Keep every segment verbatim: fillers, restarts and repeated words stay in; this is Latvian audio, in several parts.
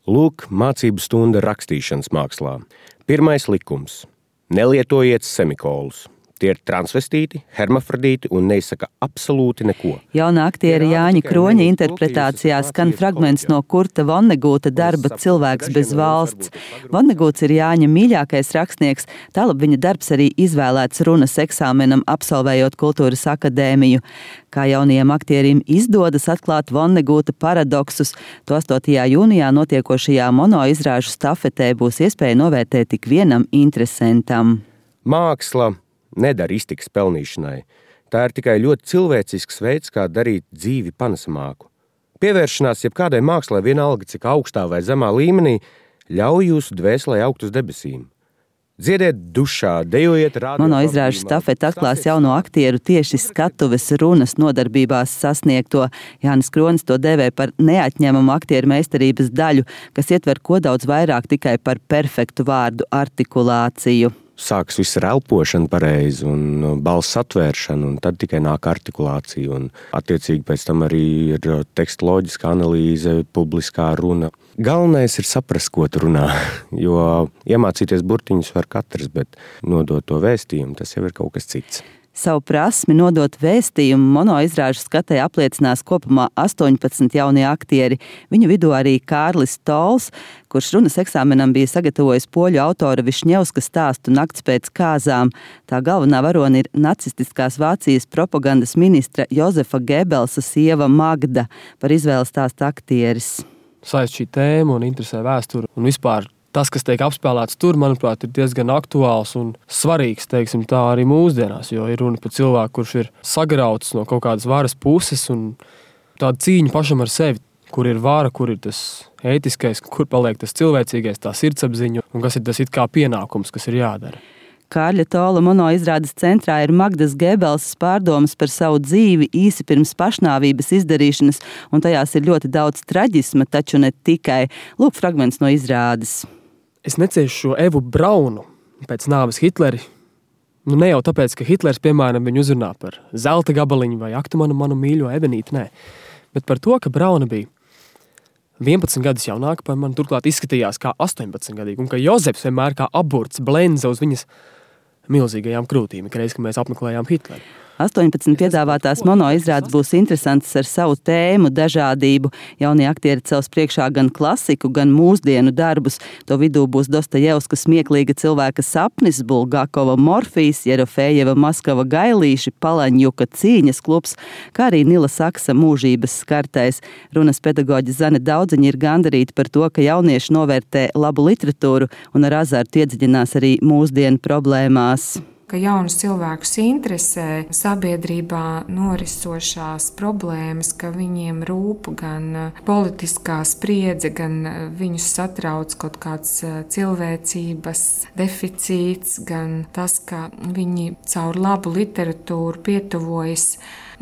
Lūk, mācību stunda rakstīšanas mākslā. Pirmais likums – nelietojiet semikolus. Tie ir transvestīti, hermafrodīti un neizsaka absolūti neko. Jaunā aktiera Jāņa Kroņa interpretācijā skan fragments no Kurta Vonnegūta darba Cilvēks bez valsts. Vonnegūts ir Jāņa mīļākais rakstnieks, tālāk viņa darbs arī izvēlēts runas eksāmenam, absolvējot Kultūras akadēmiju. Kā jaunajiem aktierim izdodas atklāt Vonnegūta paradoksus, to astotajā jūnijā notiekošajā monoizrāžu stafetē būs iespēja novērtēt tik vienam interesantam. Māksla nedara iztikas pelnīšanai. Tā ir tikai ļoti cilvēcisks veids, kā darīt dzīvi panesamāku. Pievēršanās jebkādai mākslai vienalga, cik augstā vai zemā līmenī, ļauj jūsu dvēselē augt uz debesīm. Dziediet dušā, dejojiet rādio. Monoizrāžu stafete atklās jauno aktieru tieši skatuves runas nodarbībās sasniegto. Jānis Kronis to dēvē par neatņemamu aktieru meistarības daļu, kas ietver ko daudz vairāk tikai par perfektu vārdu artikulāciju. Sāks viss ar elpošanu pareizi un balss atvēršanu, un tad tikai nāk artikulācija. Un attiecīgi pēc tam arī ir teksta loģiska analīze, publiskā runa. Galvenais ir saprast, ko tu runā, jo iemācīties burtiņus var katrs, bet nodot to vēstījumu, tas jau ir kaut kas cits. Savu prasmi nodot vēstījumu monoizrāžu skatē apliecinās kopumā astoņpadsmit jaunie aktieri. Viņu vidū arī Kārlis Tols, kurš runas eksāmenam bija sagatavojis poļu autora Višņevska stāstu Nakts pēc kāzām. Tā galvenā varone ir nacistiskās Vācijas propagandas ministra Jozefa Gebelsa sieva Magda, par izvēles stāsta aktieris. Saist šī tēma un interesē vēsturi un vispār tas, kas tiek apspēlēts tur, manuprāt, ir diezgan aktuāls un svarīgs, teiksim tā, arī mūsdienās, jo ir runa par cilvēku, kurš ir sagrauts no kaut kādas varas puses un tāda cīņa pašam ar sevi, kur ir vara, kur ir tas ētiskais, kur paliek tas cilvēcīgais, tā sirdsapziņa un kas ir tas it kā pienākums, kas ir jādara. Kārļa Tola monoizrādes centrā ir Magdas Gebelsas pārdomas par savu dzīvi īsi pirms pašnāvības izdarīšanas, un tajās ir ļoti daudz traģisma, taču ne tikai. Lūk, fragments no izrādes. Es neciešu šo Evu Braunu pēc nāves Hitleri. Nu, ne jau tāpēc, ka Hitlers, piemēram, viņu uzrunā par zelta gabaliņu vai aktu manu, manu mīļo Evenīti, nē. Bet par to, ka Brauna bija vienpadsmit gadus jaunāka par mani, turklāt izskatījās kā astoņpadsmit gadīgi, un ka Jozefs vienmēr kā aburts blenza uz viņas milzīgajām krūtīm, ikreiz, kad mēs apmeklējām Hitleru. astoņpadsmit piedāvātās monoizrādes būs interesantas ar savu tēmu, dažādību. Jaunie aktieri cels priekšā gan klasiku, gan mūsdienu darbus. To vidū būs Dostojevska smieklīga cilvēka sapnis, Bulgakova Morfijs, Jerofejeva Maskava gailīši, Palaņjuka cīņas klubs, kā arī Nila Saksa mūžības skartais. Runas pedagoģe Zane Daudziņa ir gandarīta par to, ka jaunieši novērtē labu literatūru un ar azartu iedziļinās arī mūsdienu problēmās. Ka jaunus cilvēkus interesē sabiedrībā norisošās problēmas, ka viņiem rūp gan politiskā spriedze, gan viņus satrauc kaut kāds cilvēcības deficīts, gan tas, ka viņi caur labu literatūru pietuvojas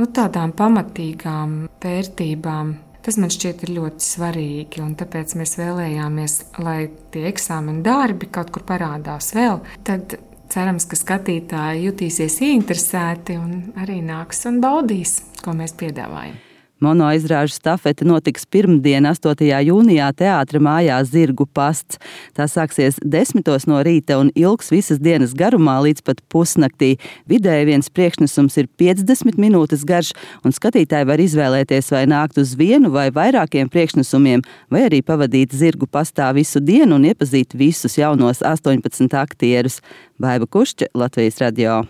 nu, tādām pamatīgām vērtībām. Tas man šķiet ir ļoti svarīgi, un tāpēc mēs vēlējāmies, lai tie eksāmena darbi kaut kur parādās vēl, tad cerams, ka skatītāji jutīsies ieinteresēti un arī nāks un baudīs, ko mēs piedāvājam. Monoizrāžu stafete notiks pirmdien, astotajā jūnijā teātra mājā Zirgu pasts. Tā sāksies desmitos no rīta un ilgs visas dienas garumā līdz pat pusnaktī. Vidēji viens priekšnesums ir piecdesmit minūtes garš, un skatītāji var izvēlēties vai nākt uz vienu vai vairākiem priekšnesumiem, vai arī pavadīt Zirgu pastā visu dienu un iepazīt visus jaunos astoņpadsmit aktierus. Baiba Kušķa, Latvijas radio.